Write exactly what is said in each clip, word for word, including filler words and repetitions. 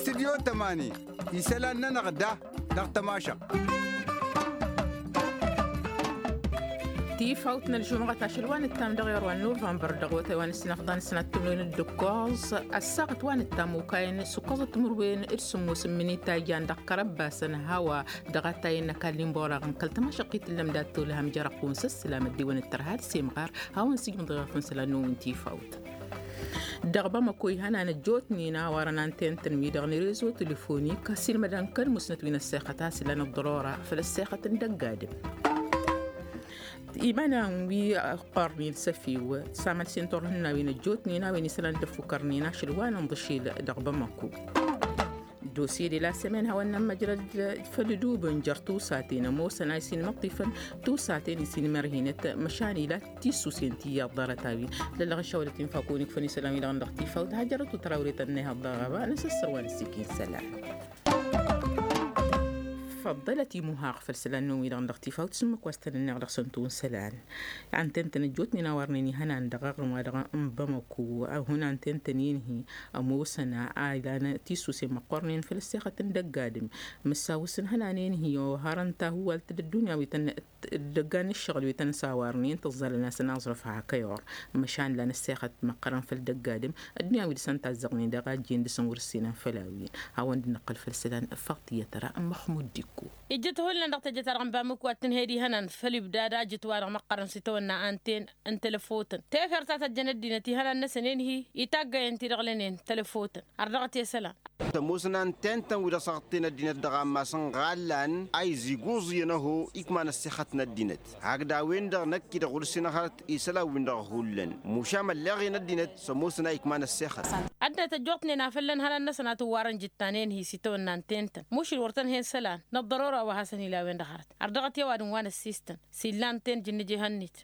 Tidyo tămani isălan-nănăɣ da dăɣ-tămašăɣt. Tifawt n-ălžumɣăt ašăl wa nǝttam dăɣ-iru n-nuvănbăr dăɣ-wătay wa n-ǝssinăfḍan sănat timǝrwen d-ǝkkoẓ. Ăssaɣăt wa nǝttam okayăn s-ǝkkoẓăt timǝrwen d-sǝmmos n-imǝnitayyan dăɣ-kărăbbasăn hawa dăɣ-atay n-ăkall n-iborăɣ n-kăl-tămašăɣt i-tǝllăm dat-tolhăm jer-ăqqum s-ǝslam ăddiwăn d-tărha d-semɣar. Hawăn-sǝjmǝḍ iɣăf n-isălan-năwăn tifawt. Dăɣ-bamăko ihănan ăjjootnen a warăn antentăn-wi-dăɣ n-rezo telefonik ăsilmădăn kăl-musnăt wi n-ăssexăt a-s ilan ăḍḍărora făll-ăssexăt n-dăgg-adǝm. Iman-an wi ăqqărnen s-efew s-amălsen turhǝnnawen ăjjootnen a-wen isălan dd-ăffukărnen ašăl wa n-inḍǝšel dăɣ-bamăko. Dosye de la sămen hawăn-nămmăjrăd făll-idubǝn jer-tusaten ămoosăn a isinmăṭṭifăn tusaten isinmărhinăt măšan ila tisusen ti iyyăḍ ḍarăt-a-wen. Lăllăɣ n-šawălăt infa kăwăn-ikfăn isălan-wi-dăɣ n-dăɣ tifaw d-hajărăt u-tărawre tănnăyhăḍ dăɣ-ɣaba n-asăssăr wa n-ăssikin isălan. Făḍḍălăt imuhaɣ făll-isălan-năwăn-wi-dăɣ n-dăɣ tifaw d-sǝmmǝk wa s-tăn-ǝnneɣ dăɣ-săn tun isălan. Antentăn ăjjootnen a warnen ihănan dăɣ-aɣrǝm wa dăɣ-n bamăko a hun antentăn-in-hi ămoosăn a ilan tisusen măqqornen făll-ăssexăt n-dăgg-adǝm. Măssaw s-ǝnhănanen-hi ohărăn tahuwalt d-ăddunya wi tăn-dd-ăggan n-ǝššăɣǝl wi tăn-sawarnen tǝẓẓalăn-asăn aẓrǝf hakăyor. Măšan lan ăssexăt măqqărăn făll-dăgg-adǝm ăddunya wi dăɣ-săn tazzăɣnen dăɣ-ajjen dăɣ-săn wăr-ǝssinăn făll-a-wen. Hawăn-dd-nǝqqǝl făll-isălan făḍt iyyăt ăra n-măxmud d-ikko. Ijjǝt hullan dăɣ-tejăt-ta-dăɣ n-bamǝk wa t-tǝnhed ihănan făll-ibdad a jǝt-wa-dăɣ măqqărăn s-itawănna anten n-telăfotăn tefert ta tăjjăn ăddinăt ihănan-năsăn enhi itaggăyăn ti-dăɣ lănen telăfotăn. Ărdăɣăt i-isălan. Tămoosăn antentăn-wi-dăɣ s-aɣǝtten ăddinăt dăɣ-ammas n-iɣallan a iziguẓ iyyăn ăho ikma n-ăssexăt n-ăddinăt hakd a-wen-dăɣ năkk-i-dăɣ wăr-ǝssin ăhărăt isălan-win-dăɣ hullan. Mušam ălleɣ-en ăddinăt s-ămoosăn a ikma n-ăssexăt. Ăddinăt ăjjootnen a făllăn ihănan-năsăn a tǝwwarăn jǝttan enhi s-itawănna n-tentăn mušǝl wăr tăn-hen isălan n-ăḍḍărora wa hasăn-ila a-wen-dăɣ hărăt. Ărdăɣăt i-ăwadǝm wa n-ăssistăn s-illan ten jǝnnǝj ihănnit.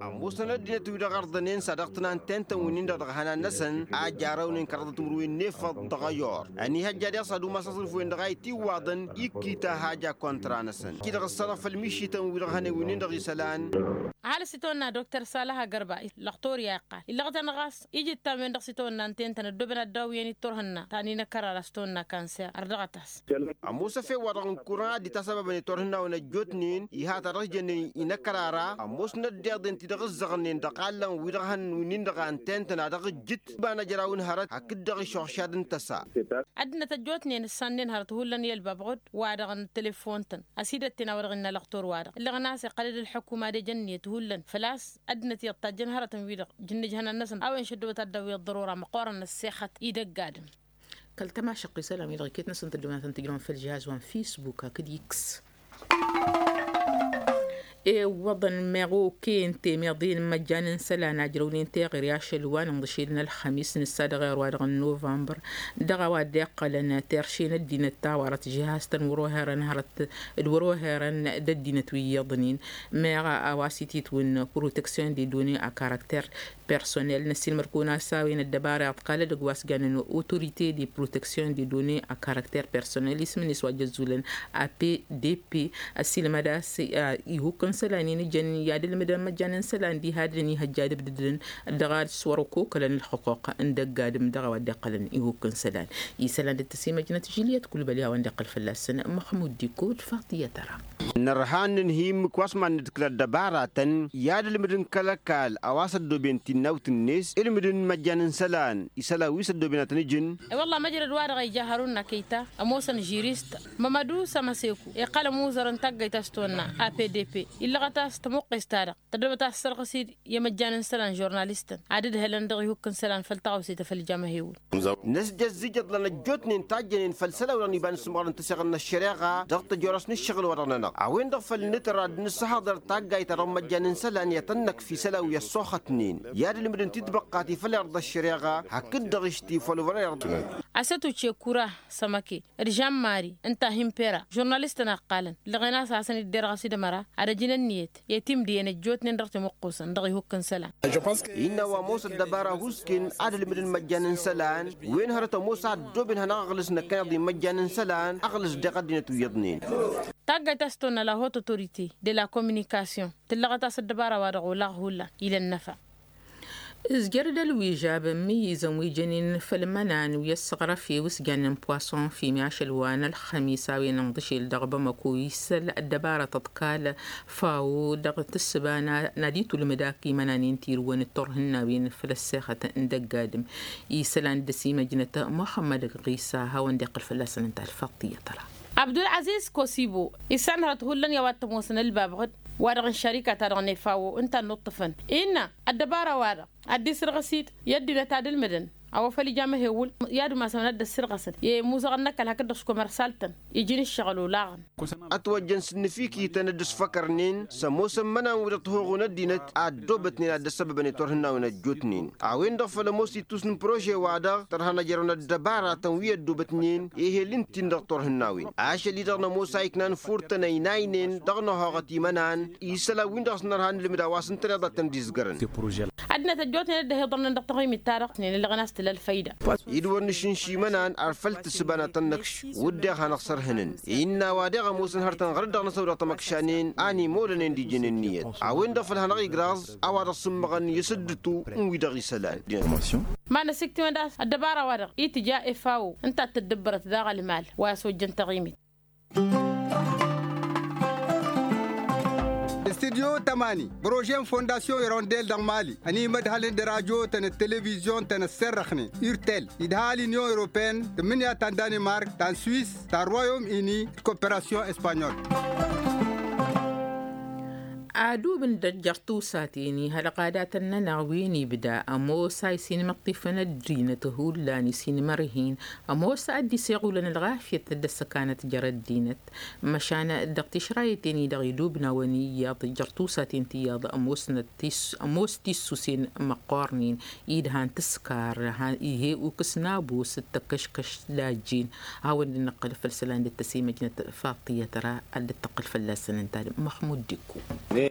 Ămoosăn ăddinăt-wi-dăɣ ărḍănen s-ad-ăɣtǝn antentăn-win-dăɣ dăɣ-ihănan-năsăn a jarăwnen kăraḍăt timǝrwen n-efăḍ dăɣ-ayor. Ănihăjja deɣ s-ad-umas aẓrǝf-wen-dăɣ a itǝwwaḍăn ikkit a haja kontra-năsăn. Iji-dăɣ ǝssanăɣ făll-mišităn-wi-dăɣ hănen wi-nin-dăɣ isălan. Ăhalǝs itawănna dokter salaha gărba lăɣtori a iqqal illăɣ-tăn ɣas ijǝttan-wen-dăɣ s-itawănna n-tentăn ăddooben ad-dawǝyăn-dd turhǝnna ta n-inăkkăr ara s-tawănna kanser ărdăɣăt-as. Ămoos efew-wa-dăɣ n-kurăn a dd-itasăbabăn i-turhǝnnawen ăjjootnen iha ta dăɣ-s jănnen inăkkăr ara ămoosnăt deḍen ti-dăɣ ǝzzăɣnen dăɣ-allăn wi-dăɣ hănen wi-nin-dăɣ a ǝntentăn a dăɣ-ǝjjǝt iba n-ajraw n-hărăt hakd-dăɣ išuɣšad n-tăsa. Ăddinăt ăjjootnen ǝssannen hărăt hullan i-ălbab ɣud wa-dăɣ n-telefon-tăn ăsidătten a-wa-dăɣ innă lăɣtor-wa-dăɣ ǝllăɣăn a-s iqqăl-dd ălḥukuma d-ejănniyăt hullan făl-a-s ăddinăt iyyăḍ tajjăn hărătăn-wi-dăɣ jǝnnǝj ihănan-năsăn a-wen šăddobăt ad-dd-awǝyăt ḍărora măqqoorăn n-ăssexăt idăgg-adǝm. Kăl-tămašăɣt wi-sălan wi-dăɣ iket-năsăn tăddoonatăn tǝjrăwăn făll-žihaz wa n-fisbuk hakd x. Iwwăḍăn meɣ okăyăn temeḍe n-imăjjan n-isălan a ǝjrăwnen teɣăre ašăl wa n-inḍǝšel n-ălxămis nǝssa dăɣ-erwa-dăɣ n-nuvănbăr dăɣ-a-wa dd-iqqălăn terše n-ăddinăt ta wărăt žihaz-tăn wăr-oherăn hărăt d-wăr-oherăn d-ăddinăt wi iyyăḍnen. Meɣ a-wa s-ititwǝn proteksyon de done a karaktăr personnel n-ăssiilmăd-kăwăn-as a-wen ăddăbara iḍkal edăgg wa s-jannen autorite de proteksyon de done a karaktăr personnel isǝm-net wa jăzzulăn a p d p. Ăssiilmăd a-s ihukk n-isălan-in ijăn i-ad-ǝlmǝdăn imăjjan n-isălan diha dd-ănihăjja ad-ǝbdǝdăn dăɣ-ad-s wăr-ăkokălăn ǝlxǝquq n-dăgg-adǝm dăɣ-a-wa dd-iqqălăn ihukk n-isălan. Isălan dd-tăsimăjnăt žiliyăt kulbăl i-hawăn-dd-iqqǝl fălla-săn măxmud d-ikko d-faḍiyăt ăra. Nărha n-inhǝy ǝmmǝk wa s-mad-nǝdkǝl ăddăbaratăn i-ad-ǝlmǝdăn kăl-ăkall a-wa s-ăddooben tinnawt-net ǝlmǝdăn imăjjan n-isălan isălan wi s-ăddooben ad-tăn-ǝjǝn. I-wălla măjrăd-wa-dăɣ a ija harun n-akăyta ămoosăn žirist mămădu sămăseku iqqăl ămuẓăr n-taggăyt a-s tăwănna a p d p illăɣăt a-s tămuqqes-ta-dăɣ tăddobăt a tăssărɣǝs-dd i-imăjjan n-isălan žurnalistăn ad-ǝdhălăn dăɣ-ihukk n-isălan făll-tăɣawse ta făll-jam ahewǝl. Năsjăzzǝj iḍlan ăjjootnen tajjănen făll-isălan-wi-dăɣ n-iba n-ǝssǝmɣărăn tăseɣăt n-ăššăreɣa dăɣ-tăjorăs n-ǝššăɣǝl-wa-dăɣ-nănăɣ a-wen-dăɣ făll-nǝtăr ad-nǝssăhăḍăr taggayt-ta-dăɣ n-imăjjan n-isălan i-ad-tăn-năkf isălan wi ăṣṣoxătnen i-ad-ǝlmǝdăn titbăqqat i-făll-irḍa ăššăreɣa hakd-dăɣ ǝšti folvăr irḍa. Asătuce kura sămăke d-žan mari ǝnta a hin-pera žurnalistăn a ǝqqalăn ǝllăɣen a-s hasăn-dd-derɣăs d-ămăra ad-ăjǝn ǝnniyăt i-timdǝyăn ăjjootnen dăɣ-timuqqusăn dăɣ-ihukk n-isălan. Innă wa ămoos ăddăbara husken ad-ǝlmǝdăn imăjjan n-isălan wen hărăt ămoos a ăddooben hanăɣ-aɣlǝs năkkăneḍ i-imăjjan n-isălan aɣlǝs deɣ ăddinăt wi iyyăḍnen. Taggayt a-s tăwănna la haute autorite de la communication tǝllăɣăt a-s ăddăbara-wa-dăɣ olaɣ hullan ila ănnăfa. Ǝzjăr d-ălwižab n-imǝyyǝzăn wi jănen făll-imănan wi ăssăɣrăf i-wǝsjan n-poisson fimi ašăl wa n-ălxămis a-wen ǝnḍǝšel dăɣ-bamăko isăl ăddăbarăt ăḍkal fawo dăɣ-tǝssǝba n-ad-itulmǝd ak imănan-in tirǝwăn d-turhǝnnawen făll-ăssexăt n-dăgg-adǝm. Isălan dd-ăsimăjnăt muxămmăd ɣisa hawăn-dd-iqqǝl fălla-săn ǝnta alfaḍt tiyyăt ra. Abdul-aziz kosibo issan hărăt hullan i-a-wa t-ămoosăn ălbabɣǝd wa-dăɣ n-šarika-ta-dăɣ n-efawo ǝnta n-inuṭṭǝfăn innă ăddăbara-wa-dăɣ ad-dd-isǝrɣǝs-dd i-ăddinăt ad-ǝlmǝdăn a-wa făl ija amăhewǝl i-ad-umasăn ad-dd-ăssirɣăsăn i-imuzăɣăn n-ăkall hakd-dăɣ s-komărsal-tăn iji n-ǝššăɣǝl olaɣăn. Ătwăjjăn s-ǝnnǝfikităn d-ǝsfăkărnen s-ămoosăn imănan-wi-dăɣ tăhoɣon ăddinăt a ăddoobătnen ad-dd-ăssăbăbăn i-turhǝnnawen ăjjootnen a-wen-dăɣ făl ămoos ittus n-prože-wa-dăɣ tărha n-ejărăwăn ăddăbaratăn wi ăddoobătnen ehel ǝnta-in dăɣ-turhǝnnawen ašăl-i-dăɣ nămoos a iknan furtăn ăynaynen dăɣ-năhoɣăt imănan isălan-win-dăɣ a-s nărha n-ilmǝd a-wa s-ǝntăneḍ ad-tăn-dd-izgărăn. Ăddinăt ăjjootnen dd-ăhiḍărnen dăɣ-taɣimit-ta-dăɣ tǝsnen ǝllăɣăn a-s tǝla ălfăyda. Id-wăr nǝšǝnš imănan ar făl tǝssǝba n-ad-tăn-năkš wǝdden ad-hanăɣ-sărhǝnăn innă a-wa deɣ ămoosăn hărătăn ɣărăt dăɣ-năsăwdăɣ tamăkšanen a n-imolănen d-ijăn ǝnniyăt a-wen-dăɣ făl hanăɣ-igraẓ a-wa dăɣ-sǝmmăɣăn i-asǝddǝtu n-wi-dăɣ isălan. Ma n-asǝktiwăn d-a-s ăddăbara-wa-dăɣ itǝja efawo ǝnta a t-tǝddǝbbărăt daɣ ălmal wa i-asojjăn taɣimit. Studyo tămani prože n-fondasyon irondel dăɣ-mali ănimădhălăn d-rajo-tăn d-televizyon-tăn ăsserrăxnen urtel idha l-inyon europeyăn tǝmmǝnǝya ta n-danimark ta n-swis ta n-royom ini d-koperasyon espanyol. Adub n-dăjjăr tusaten ihălɣadatăn-nănăɣ wi n-ibda ămoos a isinmăṭṭifăn ăddinăt hullan isinmărhin ămoos a dd-iseɣulăn ălɣafyăt d-ăssăkanăt jer-ăddinăt măšan dăɣ-tišrayăten-i-dăɣ idubnawăn iyyăḍ jer-tusaten tiyyăḍ ămoos tissusen măqqornen idhan tǝskar. Ihe ukǝs n-abus d-tăkkăškăš d-ajjin a-wen-dd-năqqǝl făll-isălan dd-tăsimăjnăt faḍt tiyyăt ra ad-dd-tăqqǝl fălla-săn ǝnta-dăɣ măxmud d-ikku.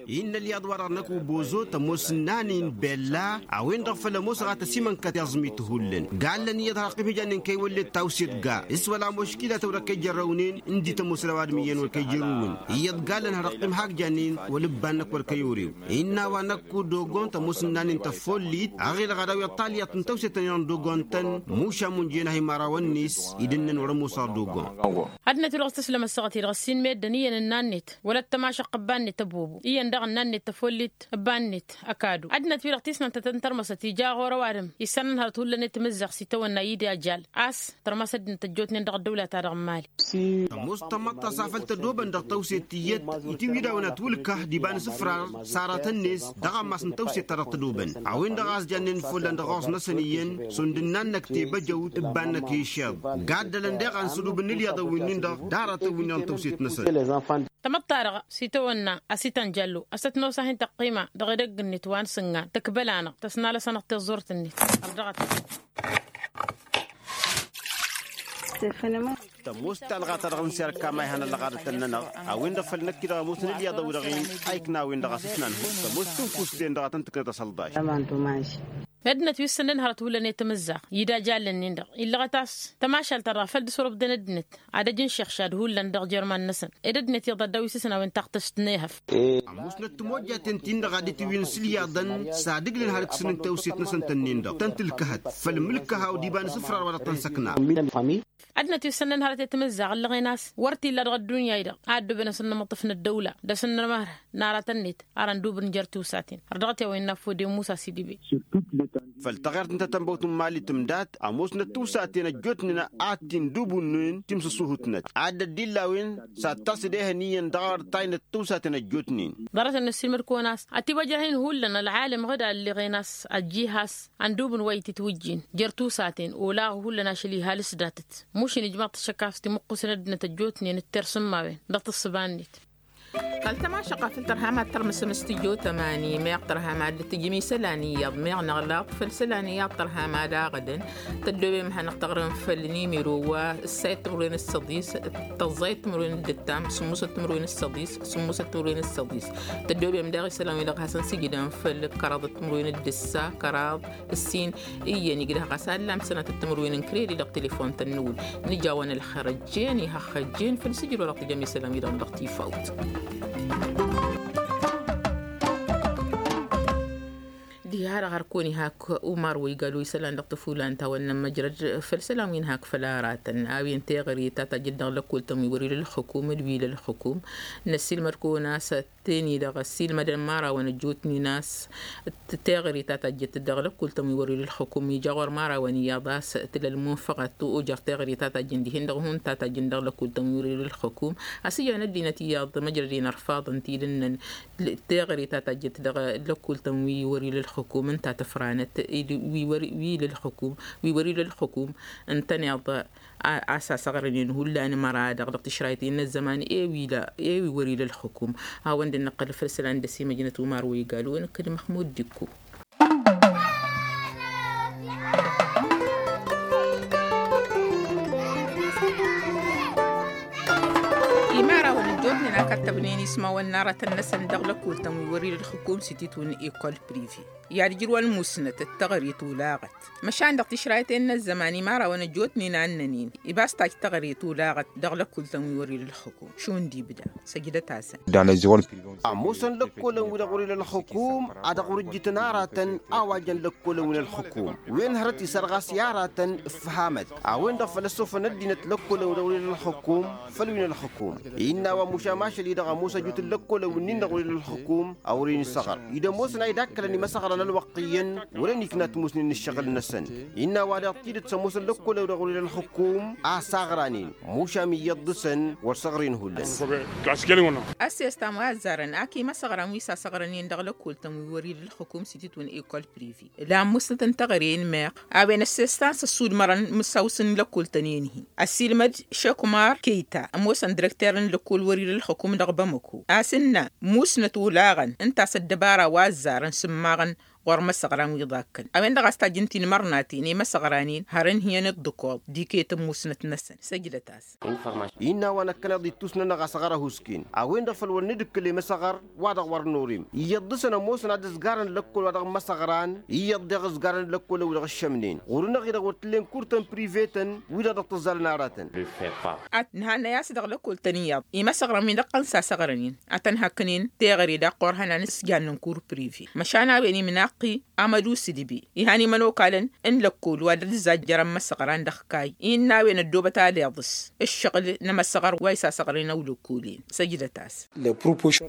Innă ălyaḍ-wa-dăɣ năkk ubozo tămoos n-nanin bella a-wen-dăɣ făl ămoosăɣ ad-tăsimănkăt i-aẓmit hullan gallăn iyyăḍ har ăqqim hǝjannen kăy-wăllet tawset ga s-wăla muškila ta wăr-ăkkăy jărrăwnen ǝndi tămoos ălăwadǝm iyyăn wăr kăy-jărrǝwăn iyyăḍ gallăn har ăqqim hak jannen wăla ǝbban-năk wăr kăy-orew. Innă a-wa năkk udogon tămoos n-nanin tăfollit aɣelăɣ ad-aw iḍḍal iyyăḍ n-tawset-tăn-in n-dogon-tăn mušam unjăyăn a hi-imărawăn-net. Idǝnnăn wăr-ămoosăɣ dogon. Ad-năt-wi-dăɣ s-tǝslăm ăssaɣăt-i-dăɣ ăssiinmed d-ăniyyăn n-nannit wăla t-tămašăɣ ăbba-net ăbobo iyyăn daɣ n-nannit tăfollit ăbba-net ăkadu ad-năt-wi-dăɣ tisnant ad-tăn-tărmăsăt ija ɣur-ăwadǝm issanăn hărăt hullan i-tamǝzzaɣt s-itawănna i-dd-ajal a-s tărmăs ăddinăt ăjjootnen dăɣ-ăddăwla-ta-dăɣ n-mali. Tămoos tamăḍt a-s afăl tădobăn dăɣ-tawset tiyyăt itiwǝy d-a-wen ătwǝlkăh d-iba n-isǝfrar s-aratăn-net dăɣ-ammas n-tawset-ta-dăɣ tădobăn a-wen-dăɣ a-s jannen follan dăɣ-ɣur-s-năsăn iyyăn šund ǝnnan-năk tebăjăwt ǝbban-năk i-išeḍ gaddălăn deɣ a n-sădub n-ilyaḍăn wi-nin-dăɣ d-aratăn wi-nin dăɣ-tawset-năsăn. Tamăḍt-ta-dăɣ s-itawănna ăsitan jallo ăsăt nosa hin-tăqqima dăɣ-edăgg-net wa n-sǝngan tǝkbăl-anăɣ tăsnalăs-anăɣ tiẓẓurt-net. Ărdăɣăt. Tămoos talɣa-ta-dăɣ n-serka ma ihăn ălɣadătăn-nănăɣ a-wen-dăɣ făl năkk-i-dăɣ ămoosăn ilyaḍăn-wi-dăɣ-in a ikna a-wen-dăɣ a-s ǝsnan tămoos tǝnfust-en-dăɣ a tăn-tǝknăt asălḍaš. Ăddinăt wi ǝssănnen hărăt hullan i-tamǝzzaɣt i-dd-ajallăn-in-dăɣ illăɣăt a-s tămašalt-ta-dăɣ a făl dd-săwrăbden ăddinăt ad-ăj n-išăɣšad hullan dăɣ-jerman-năsăn ed ăddinăt iyyăḍ ad-dăw-isǝsnawăn taɣtǝst n-ehăf. Ămoosnăt timojjaten-tin-dăɣ ad-dd-tiwǝyăn s-ilyaḍăn s-ad-ǝglǝn har ǝksǝn n-tawset-năsăn tănnin-dăɣ tăn-tǝlkăhăt făll-mǝlkăha u-diba n-isǝfrar wa dăɣ-tăn-săkna. Ăddinăt wi ǝssănnen hărăt i-tamǝzzaɣt ǝllăɣen a-s wăr t-illa dăɣ-ăddunya-i-dăɣ a ăddubăn asǝnnămăṭṭǝf n-ăddăwla d-asǝnnămăhăr n-aratăn-net ara n-dubǝn jer-tusaten ărdăɣăt i-a-wa innă affăw d-e-musa s-idǝbe. Făll-taɣert n-tatănbăwt n-imali tǝmdat ămoosnăt tiwsaten ăjjootnen a t-in-dubunnen timsǝsuhǝtnăt ad-dd-illa a-wen s-ad-tasǝd ehăn iyyăn dăɣ-arăt taynăt tiwsaten ăjjootnen. Ḍarăt-net s-ilmǝd-kăwăn a-s ătiwăjrăh-in hullan ălɣalem ɣǝd a ǝlleɣen a-s ăjjih a-s ăndubǝn wa itǝtwǝjjin jer-tusaten olaɣ hullan ašăl ihalǝs datăt mušin ijmaḍ-t ašăk a-s timǝqqusăn ăddinăt ăjjootnen d-tersǝmmawen dăɣ-tǝssǝba-net. Kăl-tămašăɣt a făl tărha mad-tărmǝsăm s-tǝjjo tămani meɣ tărha mad-dd-tǝjǝm isălan iyyăḍ meɣ năɣlaḍ făll-isălan iyyăḍ tărha mad-aɣǝdăn. Tăddoobem ad-hanăɣ-tăɣrǝm făll-nimiro wa ǝssayăt timǝrwen d-săḍis tăẓẓayăt timǝrwen d-ǝttam sǝmmusăt timǝrwen d-săḍis sǝmmusăt timǝrwen d-săḍis. Tăddoobem daɣ isălan-wi-dăɣ hasăn-sǝjdăm făll-kăraḍăt timǝrwen d-ǝssa kăraḍ ǝssin. Iyyăn igdăh ɣas allam sănatăt timǝrwen n-kredi dăɣ-telefon-tăn n-ewǝl nǝjawăn ălxer ăjjeen ihăxxăjjeen făll-sǝjǝd wa dăɣ-tǝjăm isălan-wi-dăɣ dăɣ-tifawt. Har ăɣrăkăwăn-i hak umar wa igal wa isălan dăɣ-tăfulan ta wănnăn măjrăd făll-isălan wi n-hak făll-aratăn a-wen teɣăre ta tajjăt dăɣ-lăkkol-tăn wi wăr-ila ălxukum d-wi ila ălxukum. Năssiilmăd-kăwăn a-s ătten-i-dăɣ ăssiilmădăn imărawăn ăjjootnen a-s teɣăre ta tajjăt dăɣ-lăkkol-tăn wi wăr-ila ălxukum ija ɣur-imărawăn iyyăḍ a-s tǝla ălmunfăɣăt ojăr teɣăre ta tajjăn dihen-dăɣ hun ta tajjăn dăɣ-lăkkol-tăn wi wăr-ila ălxukum. A-s ijan ăddinăt iyyăḍ măjrăd-in ărfaḍăn tidǝnnăn teɣăre ta tajjăt dăɣ-lăkkol-tăn wi wăr-ila ălxukum ǝnta tǝfranăt wi wăr-ila ălxukum wi wăr-ila ălxukum. Ǝntăneḍ a-s asăɣrănen hullan măra-dăɣ dăɣ-tišrayten n-ăzzăman e-wi wăr-ila ălxukum. Hawăn-dd-năqqăl făll-isălan d-ăsimăjnăt umar wa igal wa nǝkkăd măxmud d-ikku. Imărawăn ăjjootnen a kattăbnen ismawăn n-aratăn-năsăn dăɣ-lăkkol-tăn wi wăr-ila ălxukum s-ititwǝn ekol prive i-ad-ǝjrǝwăn musnăt d-teɣăre tulaɣăt. Măšan dăɣ-tišrayten n-ăzzăman imărawăn ăjjootnen a ǝnnănen ibas taj teɣăre tulaɣăt dăɣ-lăkkol-tăn wi wăr-ila ălxukum šund ibda. Săjdăt-asăn. Ămoosăn lăkkolăn-wi-dăɣ wăr-ila ălxukum a dăɣ-wăr-ǝjjǝtăn aratăn a-wa jăn lăkkolăn wi n-ălxukum wen hărăt isărɣas i-aratăn ǝffăhamăt. A-wen-dăɣ făl ăssofăn ăddinăt lăkkolăn-wi-dăɣ wăr-ila ălxukum făll-wi n-ălxukum. Innă a-wa mušam ašăl-i-dăɣ ămoos ăjut n-lăkkolăn-wi-nin-dăɣ wăr-ila ălxukum a wăr-in-isăɣăr. Id' ămoosăn a idakălăn imăsăɣran ălwăqq iyyăn wăren ikna ătmusnen ǝššăɣǝl-năsăn. Innă a-wa daɣ tidǝt s-ămoosăn lăkkolăn-wi-dăɣ wăr-ila ălxukum a saɣranen mušam iyyăḍ dăɣ-săn wăr săɣren hullan. Ăssestan wa ăzzarăn ak imăsăɣran wi s-asăɣrănen dăɣ-lăkkol-tăn wi wăr-ila ălxukum s-ititwǝn ekol prive ǝla ămmusnăt n-teɣăre n-meɣ. A-wen ăssestan s-ăssudmărăn mǝssaw-s n-lăkkol-tăn-en-hi ăssiilmăd šekumar keyta ămoosăn direkter n-lăkkol wăr-ila ălxukum dăɣ-bamăko a-s ǝnna musnăt olaɣăn ǝnta a-s ăddăbara wa ăzzarăn sǝmmaɣăn ɣur-imăsăɣran wi iḍakkăn a-wen-dăɣ a-s tajjǝn tinmărnaten i-imăsăɣran-in har ǝnhǝyăn d-ǝkkoḍ d-iket n-musnăt-năsăn. Săjdăt-as. Innă a-wa năkkăneḍ ittus-nănăɣ a-s ăɣrăhusken a-wen-dăɣ făl wăr nǝdǝkkǝl i-imăsăɣăr wa dăɣ-wăr norim iyyăḍ dăɣ-săn ămoosăn ad-ǝzgarăn lăkkol wa dăɣ-imăsăɣran iyyăḍ deɣ ǝzgarăn lăkkolăn-wi-dăɣ ǝššămnen ɣur-năɣ-i-dăɣ wăr t-ǝllen kurtăn privetăn wi-dăɣ dăɣ-tǝzzalăn aratăn. Ad-nǝhannăy a-s dăɣ-lăkkol-tăn iyyăḍ imăsăɣrăn-win-dăɣ tăn-sasăɣrănen ad-tăn-hakkǝnen teɣăre daɣ ɣur-hănan s-jannen kur prive măšan a-wen imnaqq-i amădu s-idbi ihan imănokalăn n-lăkkol wa dd-zajjărăn imăsăɣran dăɣ-kayy innă a-wen ăddoobăt aleḍ s-ǝššăɣǝl n-imăsăɣăr wa isasăɣrănen ăwlăkkolen. Săjdăt-as.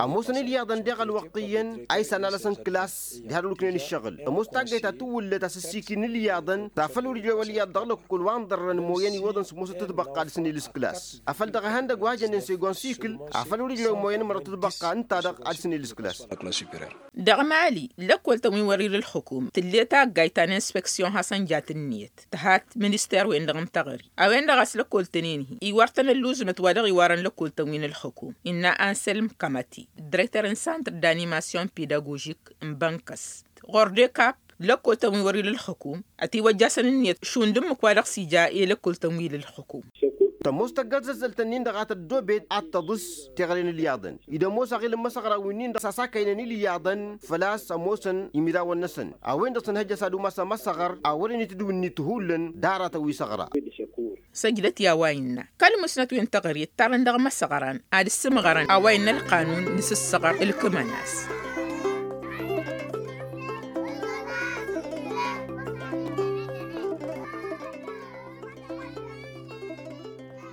Ămoosăn ilyaḍăn deɣ ălwăqq iyyăn a isanalăsăn kǝlas diha d-ăluknen ǝššăɣǝl ămoos taggayt ta tǝwwǝllăt a-s ăssiikǝy n-ilyaḍăn ta făl wăr-ijrăw ălyaḍ dăɣ-lăkkol wa ǝnḍărrăn ămoyăn iwwăḍăn s-ămoosăt tǝtbăqqa ad-dăr-săn ilǝs kǝlas. Afăl dăɣ-ihăndăgg wa jănnen segon sikǝl afăl wăr-ijrăw ămoyăn mărăt tǝtbăqqa ǝnta-dăɣ ad-dăr-săn ilǝs kǝlas. Dăɣ-mali lăkkol-tăn wi wăr-ila ălxukum tǝlle taggayt ta n-inspeksyon hasăn jat ǝnniyăt tǝhat minister-wen-dăɣ n-teɣăre a-wen-dăɣ a-s lăkkol-tăn-en-hi iwar-tăn ălluẓmăt wa dăɣ-iwarăn lăkkol-tăn wi n-ălxukum innă anselm kamati direkter n-santr d-animasyon pedagožik n-bănkăs ɣur-dekap lăkkol-tăn wi wăr-ila ălxukum ătiwăjjasăn ǝnniyăt šund ǝmmǝk wa dăɣ-s ija i-lăkkol-tăn wi ila ălxukum. Tămoos tăgg-ălzăzzălt-ǝnnin-dăɣ a tăddoobet ad-tăḍǝs teɣăre n-ilyaḍăn id-ămoos aɣil n-imăsăɣra wi-nin-dăɣ s-asakăynăn ilyaḍăn făl-a-s ămoosăn imirawen-năsăn a-wen-dăɣ s-ănhăjjăs ad-umas amăsăɣăr a wărăn itǝdǝw ǝnniyăt hullan d-aratăn wi săɣra. Săjdăt i-a-wa innă kăl-musnăt wi n-teɣăre ǝttarăn dăɣ-imăsăɣran ad-ǝssǝmɣărăn a-wa innă ălqanun n-asǝssăɣăr ǝlkǝmăn-as.